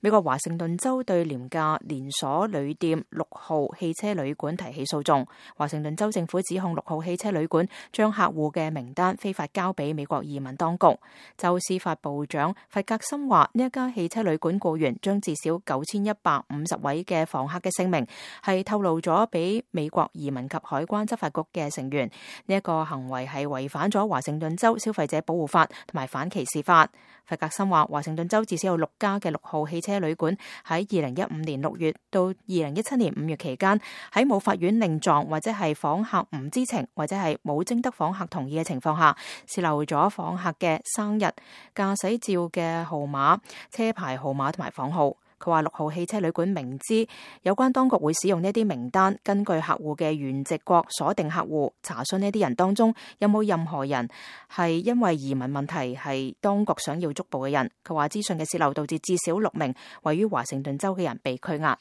美國華盛頓州對廉價連鎖旅店6號汽車旅館提起訴訟。華盛頓州政府指控6號汽車旅館將客戶嘅名單非法交俾美國移民當局。州司法部長弗格森話，呢一家汽車旅館僱員將至少9150位嘅房客嘅姓名係透露咗俾美國移民及海關執法局嘅成員。呢一個行為係違反咗華盛頓州消費者保護法同埋反歧視法。弗格森話，華盛頓州至少有6家嘅6號汽車旅館喺2015年6月到2017年5月期間，喺冇法院令狀或者係訪客唔知情或者係冇徵得訪客同意嘅情況下，洩漏咗訪客嘅生日、駕駛照嘅號碼、車牌號碼同埋房號。佢話6號汽車旅館明知有關當局會使用呢啲名單，根據客戶嘅原籍國鎖定客戶，查詢呢啲人當中有冇任何人係因為移民問題係當局想要捉捕嘅人。佢話資訊嘅洩漏導致至少6名位於華盛頓州嘅人被拘押。